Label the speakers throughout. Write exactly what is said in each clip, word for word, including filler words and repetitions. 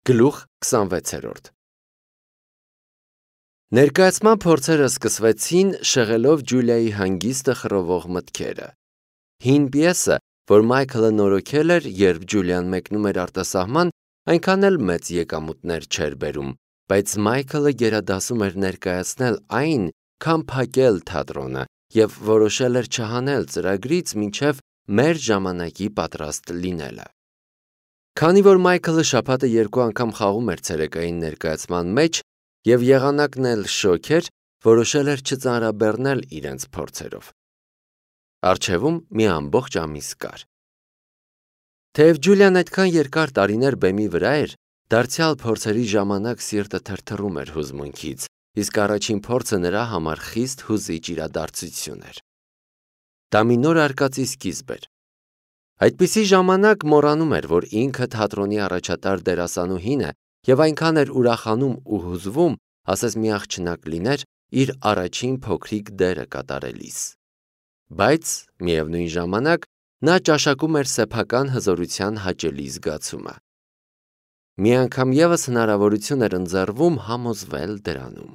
Speaker 1: Գլուխ քսանվեցերորդ Ներկայացման փորձերը սկսվեցին շեղելով Ջուլիայի հանգիստը խռովող մտքերը։ Հին պիեսը, որ Մայքլը նորոգել էր, երբ Ջուլիան մեկնում էր արտասահման, այնքան էլ մեծ եկամուտներ չէր բերում, բայց Մայքլը գերադասում էր ներկայացնել այն, քան փակել թատրոնը և որոշել էր չհանել ծրագրից մինչև մեր ժամանակի պատրաստ լինելը։ Քանի որ Մայքլը շաբաթը երկու անգամ խաղում էր ցերեկային ներկայացման մեջ և եղանակն էլ շոգ էր, որոշել էր չծանրաբեռնել իրենց փորձերով։ Առջևում մի ամբողջ ամիս կար։ Թեև Ջուլիան այդքան երկար տարիներ բեմի վրա էր, դարձյալ փորձերի ժամանակ սիրտը թրթռում էր հուզմունքից, իսկ առաջին փորձը նրա համար խիստ հուզիչ իրադարձություն էր։ Դա մի նոր արկածի սկիզբ էր։ Այդպիսի ժամանակ մոռանում էր, որ ինքը թատրոնի առաջատար դերասանուհին է և այնքան էր ուրախանում ու հուզվում, ասես մի աղջնակ լիներ իր առաջին փոքրիկ դերը կատարելիս։ Բայց, միևնույն ժամանակ, նա ճաշակում էր սեփական հզորության հաճելի զգացումը։ Մի անգամ ևս հնարավորություն էր ընձեռվում համոզվել դրանում։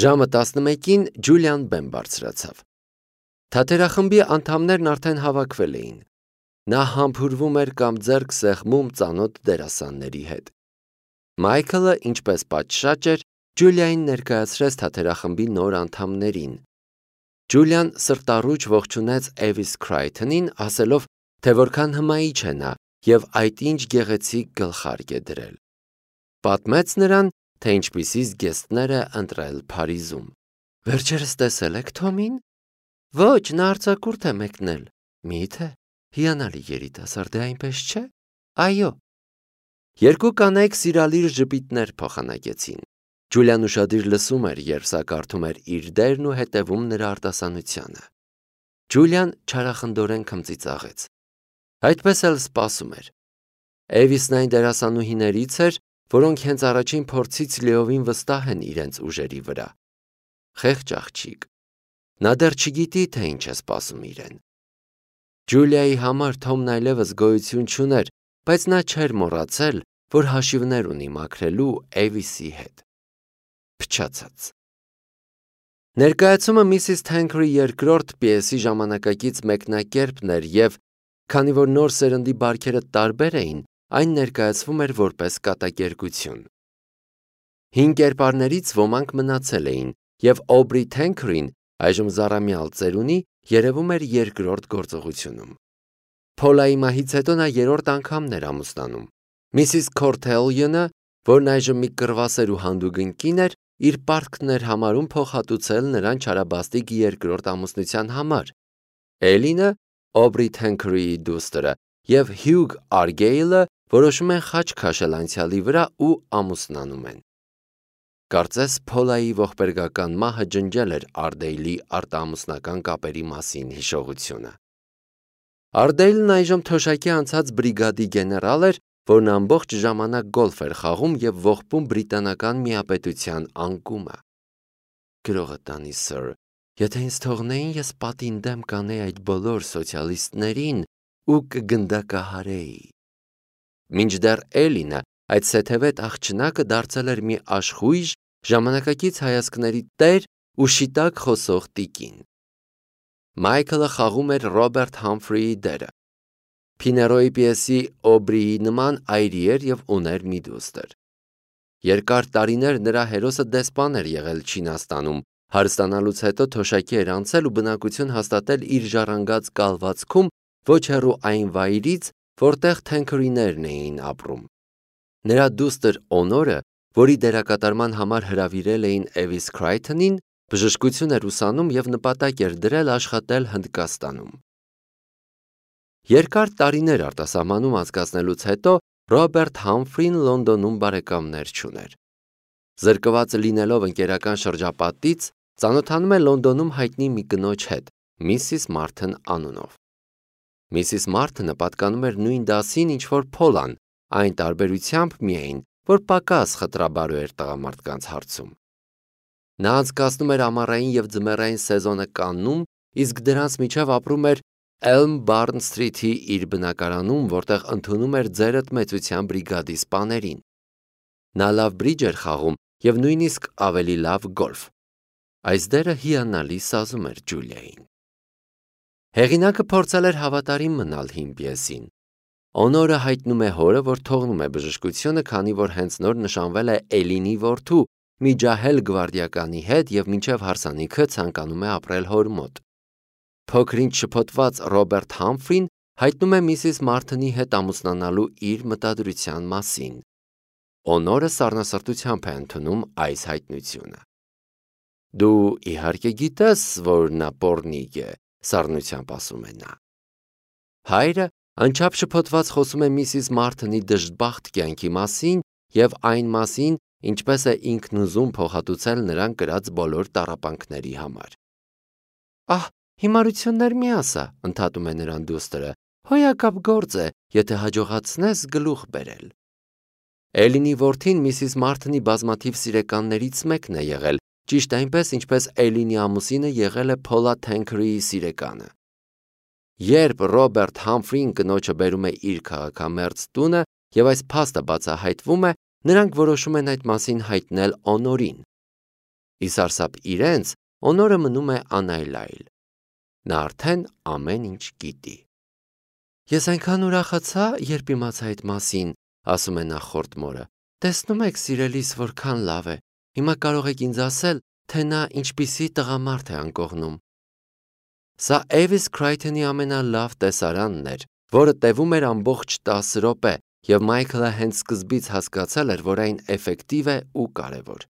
Speaker 1: Ժամը տասնմեկին Ջուլիան բեմ բարձրացավ։ Թատերախմբի անդամներն արդեն հավաքվել էին։ Նա համբուրվում էր կամ ձեռք սեղմում ծանոթ դերասանների հետ։ Մայքլը, ինչպես պատշաճ էր, Ջուլիային ներկայացրեց թատերախմբի նոր անդամներին։ Ջուլիան սրտառուչ ողջունեց Էվիս Քրայթոնին, ասելով, թե որքան հմայիչ է նա և այդ ինչ գեղեցիկ գլխարկ է դրել։ Պատմեց նրան, թե ինչպիսի զգեստներ է ընտրել Փարիզում։ Վերջերս տեսե՞լ եք Թոմին։ Ոչ, նա արձակուրդ է մեկնել։ Մի՞թե, հիանալի երիտասարդ է, այնպես չէ։ Այո։ Երկու կանայք սիրալիր ժպիտներ փոխանակեցին։ Ջուլիան ուշադիր լսում էր, երբ սա կարդում էր իր դերն ու հետևում նրա արտասանությանը։ Ջուլիան չարախնդորեն քմծիծաղեց։ Այդպես էլ սպասում էր։ Էվիսն այն դերասանուհիներից էր, որոնք հենց առաջին փորձից լիովին վստահ են իրենց ուժերի վրա։ Խեղճ աղջիկ։ Նա դեռ չգիտի, թե ինչ է սպասում իրեն։ Ջուլիայի համար Թոմն այլևս գոյություն չուներ, բայց նա չէր մոռացել, որ հաշիվներ ունի մաքրելու Էվիսի հետ։ Փչացած։ Ներկայացումը Միսիս Թենքրի երկրորդ պիեսի ժամանակակից մեկնակերպն էր և, քանի որ նոր սերնդի բարքերը տարբեր էին, այն ներկայացվում էր որպես կատակերգություն։ Հին կերպարներից ոմանք մնացել էին, և Օբրի Թենքրին, այժմ զառամյալ ծերունի, երևում էր երկրորդ գործողությունում։ Փոլայի մահից հետո նա երրորդ անգամն էր ամուսնանում։ Միսիս Քորթելյոնը, որն այժմ մի կռվասեր ու հանդուգն կին էր, իր պարտքն էր համարում փոխհատուցել նրան չարաբաստիկ երկրորդ ամուսնության համար։ Էլինը, Օբրի Թենքրիի դուստրը, և Հյուգ Արգեյլը որոշում են խաչ քաշել անցյալի վրա ու ամուսնանում են։ Կարծես Փոլայի ողբերգական մահը ջնջել էր Արդեյլի արտաամուսնական կապերի մասին հիշողությունը։ Արդեյլն այժմ թոշակի անցած բրիգադի գեներալ էր, որն ամբողջ ժամանակ գոլֆ էր խաղում և ողբում բրիտանական միապետության անկումը։ Գրողը տանի, սըր, եթե ինձ թողնեին, ես պատին դեմ կանեի այդ բոլոր սոցիալիստներին ու կգնդակահարեի։ Մինչդեռ Էլինը, այդ սեթևետ աղջնակը դարձել էր մի աշխույժ, ժամանակակից հայացքների տեր ու շիտակ խոսող տիկին։ Մայքլը խաղում էր Ռոբերտ Համֆրիի դերը։ Փիներոյի պիեսի Օբրիի նման այրի էր և ուներ մի դուստր։ Երկար տարիներ նրա հերոսը դեսպան էր եղել Չինաստանում, հարստանալուց հետո թոշակի էր անցել ու բնակություն հաստատել իր ժառանգած կալվածքում ոչ հեռու այն վայրից, որտեղ Թենքրիներն էին ապրում։ Նրա դուստր Օնորը, որի դերակատարման համար հրավիրել էին Էվիս Քրայթոնին, բժշկություն էր ուսանում և նպատակ էր դրել աշխատել Հնդկաստանում։ Երկար տարիներ արտասահմանում անցկացնելուց հետո Ռոբերտ Համֆրին Լոնդոնում բարեկամներ չուներ։ Զրկված լինելով ընկերական շրջապատից, ծանոթանում է Լոնդոնում հայտնի մի կնոջ հետ, Միսիս Մարթն անունով։ Միսիս Մարթնը պատկանում էր նույն դասին, ինչ որ Փոլան, այն տարբերությամբ միայն, որ պակաս խտրաբարո էր տղամարդկանց հարցում։ Նա անցկացնում էր ամառային և ձմեռային սեզոնը Կաննում, իսկ դրանց միջև ապրում էր Elm Barn Street-ի իր բնակարանում, որտեղ ընդունում էր ձերդ մեծության բրիգադի սպաներին։ Նա լավ բրիջ էր խաղում և նույնիսկ ավելի լավ գոլֆ։ Այս դերը հիանալի սազում էր Ջուլիային։ Հեղինակը փորձել էր հավատարիմ մնալ հին պիեսին։ Օնորը հայտնում է հորը, որ թողնում է բժշկությունը, քանի որ հենց նոր նշանվել է Էլինի որդու մի ջահել գվարդիականի հետ և մինչև հարսանիքը ցանկանում է ապրել հոր մոտ։ Փոքրինչ շփոթված Ռոբերտ Համֆրին հայտնում է միսիս Մարթնի հետ ամուսնանալու իր մտադրության մասին։ Օնորը սառնասրտությամբ է ընդունում այս հայտնությունը։ Դու իհարկե գիտես, որ նա պոռնիկ է, սառնությամբ ասում է նա։ Հայրը անչափ շփոթված խոսում է միսիս Մարթնի դժբախտ կյանքի մասին և այն մասին, ինչպես է ինքն ուզում փոխհատուցել նրան կրած բոլոր տառապանքների համար։ Ահ, հիմարություններ մի ասա, ընդհատում է նրան դուստրը, հոյակապ գործ է, եթե հաջողացնես գլուխ բերել։ Էլինի որդին միսիս Մարթնի բազմաթիվ սիրեկաններից մեկն է եղել, ճիշտ այնպես, ինչպես Էլինի ամուսինը եղել է Փոլա Թենքրիի սիրեկանը։ Երբ Ռոբերտ Համֆրին կնոջը բերում է իր քաղաքամերձ տունը և այս փաստը բացահայտվում է, նրանք որոշում են այդ մասին հայտնել Օնորին։ Ի սարսափ իրենց, Օնորը մնում է անայլայլ։ Նա արդեն ամեն ինչ գիտի։ Ես այնքան ուրախացա, երբ իմացա այդ մասին, ասում է նախորդ մորը։ Տեսնում եք, սիրելիս, որքան լավ է։ Հիմա կարող եք ինձ ասել, թե նա ինչպիսի տղամարդ է անկողնում։ Սա Էվիս Քրայթոնի ամենալավ տեսարանն էր, որը տևում էր ամբողջ տասը րոպե, և Մայքլը հենց սկզբից հասկացել էր, որ այն էֆեկտիվ է ու կարևոր։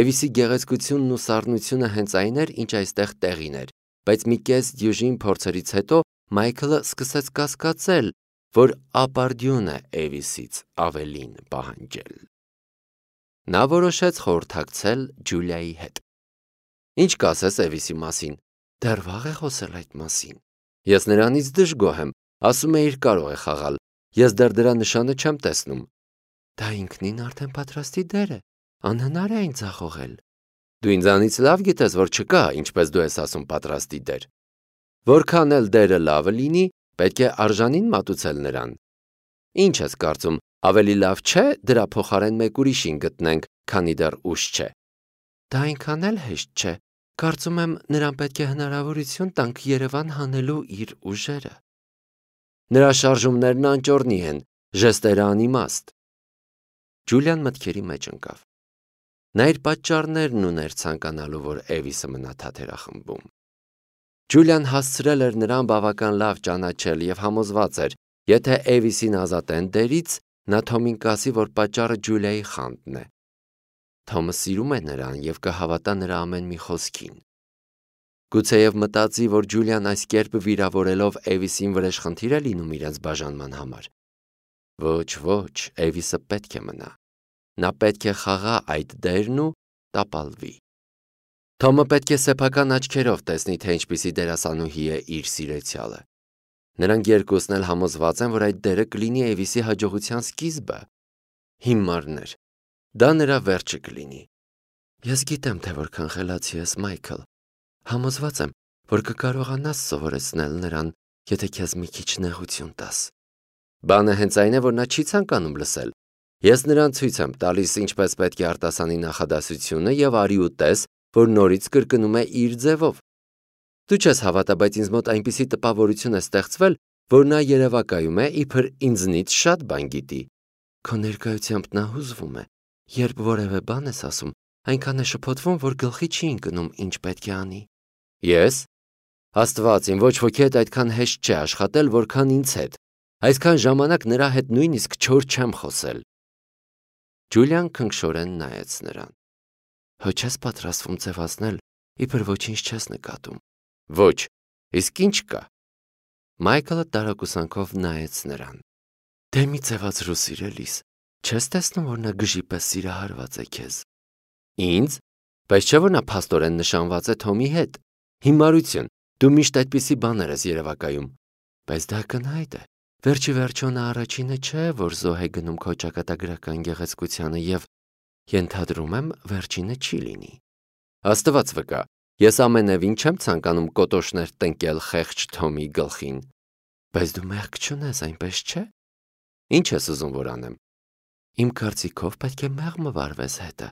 Speaker 1: Էվիսի գեղեցկությունն ու սառնությունը հենց այն էր, ինչ այստեղ տեղին էր, բայց մի կես դյուժին փորձերից հետո Մայքլը սկսեց կասկածել, որ ապարդյուն է Էվիսից ավելին պահանջել։ Նա որոշեց խորհրդակցել Ջուլիայի հետ։ Ինչ կասես Էվիսի մասին։ Դեռ վաղ է խոսել այդ մասին։ Ես նրանից դժգոհ եմ, ասում է իր կարող է խաղալ։ Ես դեռ դրա նշանը չեմ տեսնում։ Դա ինքնին արդեն պատրաստի դեր է, անհնար է այն ձախողել։ Դու ինձանից լավ գիտես, որ չկա, ինչպես դու ես ասում, պատրաստի դեր։ Որքան էլ դերը լավը լինի, պետք է արժանին մատուցել նրան։ Ինչ ես կարծում, ավելի լավ չէ դրա փոխարեն մեկ ուրիշին գտնենք, քանի դեռ ուշ չէ։ Դա այնքան էլ հեշտ չէ։ Կարծում եմ, նրան պետք է հնարավորություն տանք Երևան հանելու իր ուժերը։ Նրա շարժումներն անճոռնի են, ժեստերը անիմաստ։ Ջուլիան մտքերի մեջ ընկավ։ Նա իր պատճառներն ուներ ցանկանալու, որ Էվիսը մնա թաթերախմբում։ Ջուլիան հասցրել էր նրան բավական լավ ճանաչել և համոզված էր, եթե Էվիսին ազատեն դերից, նա Թոմին կասի, որ պատճառը Ջուլիայի խանդն է։ Թոմը սիրում է նրան և կհավատա նրա ամեն մի խոսքին։ Գուցեև մտածի, որ Ջուլիան այս կերպ վիրավորելով Էվիսին վրեժխնդիր է լինում իրենց բաժանման համար։ Ոչ, ոչ, Էվիսը պետք է մնա։ Նա պետք է խաղա այդ դերն ու տապալվի։ Թոմը պետք է սեփական աչքերով տեսնի, թե ինչպիսի դերասանուհի է իր սիրեցյալը։ Նրանք երկուսն էլ համոզված են, որ այդ դերը կլինի Էվիսի հաջողության սկիզբը։ Հիմարներ։ Դա նրա վերջը կլինի։ Ես գիտեմ, թե որքան խելացի ես, Մայքլ։ Համոզված եմ, որ կկարողանաս սովորեցնել նրան, եթե քեզ մի քիչ նեղություն տաս։ Բանը հենց այն է, որ նա չի ցանկանում լսել։ Ես նրան ցույց եմ տալիս, ինչպես պետք է արտասանի նախադասությունը և արի ու տես, որ նորից կրկնում է իր ձևով։ Դու չես հավատա, բայց ինձ մոտ այնպիսի տպավորություն է ստեղծվել, որ նա երևակայում է, իբր ինձնից շատ բան գիտի։ Քո ներկայությամբ նա հուզվում է։ Երբ որևէ բան ես ասում, այնքան է շփոթվում, որ գլխի չի ընկնում, ինչ պետք է անի։ Ես։ Աստված իմ, ոչ ոքի հետ այդքան հեշտ չէ աշխատել, որքան ինձ հետ։ Այսքան ժամանակ նրա հետ նույնիսկ չոր չեմ խոսել։ Ջուլիան քնքշորեն նայեց նրան։ Հո չես պատրաստվում ձևացնել, իբր ոչինչ չես նկատում։ Ոչ, իսկ ինչ կա։ Մայքլը տարակուսանքով նայեց նրան։ Դե մի ձևացրու, սիրելիս, չես տեսնում, որ նա գժի պես սիրահարված է քեզ։ Ինձ, բայց չէ՞ որ նա փաստորեն նշանված է Թոմի հետ։ Հիմարություն, դու միշտ այդպիսի բաներ ես երևակայում։ Բայց դա կնհայտ է։ Վերջի վերջո նա առաջինը չէ, որ զոհ է գնում քո ճակատագրական գեղեցկությանը և ենթադրում եմ, վերջինը չի լինի։ Աստված վկա, Ես ամենևին չեմ ցանկանում կոտոշներ տնկել խեղճ Թոմի գլխին։ Բայց դու մեղք չունես, այնպես չէ՞։ Ինչ ես ուզում որ անեմ։ Իմ կարծիքով պետք է մեղմը վարվես հետը։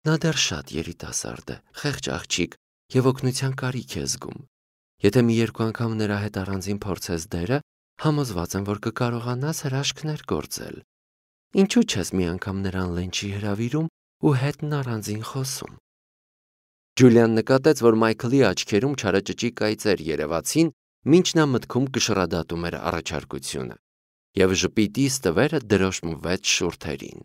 Speaker 1: Նա դեռ շատ երիտասարդ է, խեղճ աղջիկ եւ օգնության կարիք է զգում։ Եթե մի երկու անգամ նրա հետ առանձին փորձես դերը, համոզված եմ, որ կկարողանաս հրաշքներ գործել։ Ինչու՞ չես մի անգամ նրան լենչի հրավիրում ու հետն առանձին խոսում։ Ջուլիան նկատեց, որ Մայքլի աչքերում չարաճճի կայծեր երևացին, մինչ նա մտքում կշռադատում էր առաջարկությունը, եւ ժպիտի ստվերը դրոշմվեց շուրթերին։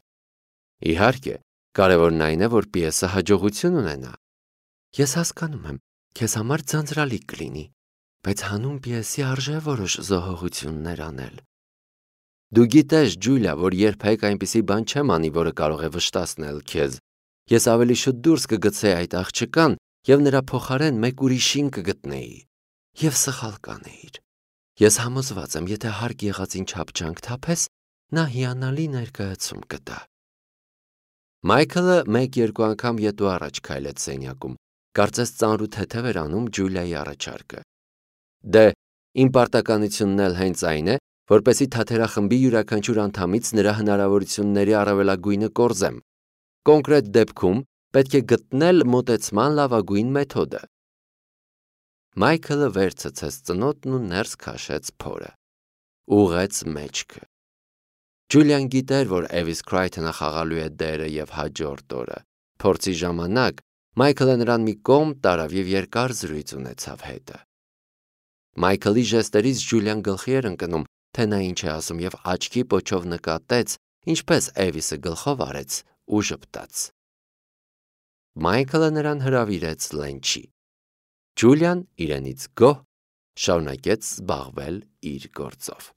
Speaker 1: Իհարկե, կարևորն այն է, որ պիեսը հաջողություն ունենա։ Ես հասկանում եմ, քեզ համար ձանձրալի կլինի, բայց հանուն պիեսի արժե որոշ զոհողություններ անել։ Դու գիտես, Ջուլիա, որ երբեք այնպիսի բան չեմ անի, որը կարող է վշտացնել քեզ։ Ես ավելի շուտ դուրս կգցեի այդ աղջկան եւ նրա փոխարեն մեկ ուրիշին կգտնեի։ Եվ սխալ կանեիր։ Ես համոզված եմ, եթե հարկ եղածին չափչանք թափես, նա հիանալի ներկայացում կտա։ Մայքլը մեկ-երկու անգամ ետու առաջ քայլեց սենյակում, կարծես ծանր ու թեթև էր անում Ջուլիայի առաջարկը։ Դե, իմ պարտականությունն էլ հենց այն է, որպեսզի թատերախմբի յուրաքանչյուր անդամից նրա հնարավորությունների առավելագույնը կորզեմ։ Կոնկրետ դեպքում պետք է գտնել մոտեցման լավագույն մեթոդը։ Մայքլը վերցցեց ծնոտն ու ներս քաշեց փորը։ Ուղղեց մեջքը։ Ջուլիան գիտեր, որ Էվիս Քրայթոնը խաղալու է դերը եւ հաջորդ օրը։ Փորձի ժամանակ Մայքլը նրան մի կողմ տարավ եւ երկար զրույց ունեցավ հետը։ Մայքլի ժեստերից Ջուլիան գլխի էր ընկնում, թե նա ինչ է ասում եւ աչքի պոչով նկատեց, ինչպես Էվիսը գլխով արեց ու ժպտաց։ Մայքլը նրան հրավիրեց լենչի։ Ջուլիան իրենից գոհ շարունակեց զբաղվել իր գործով։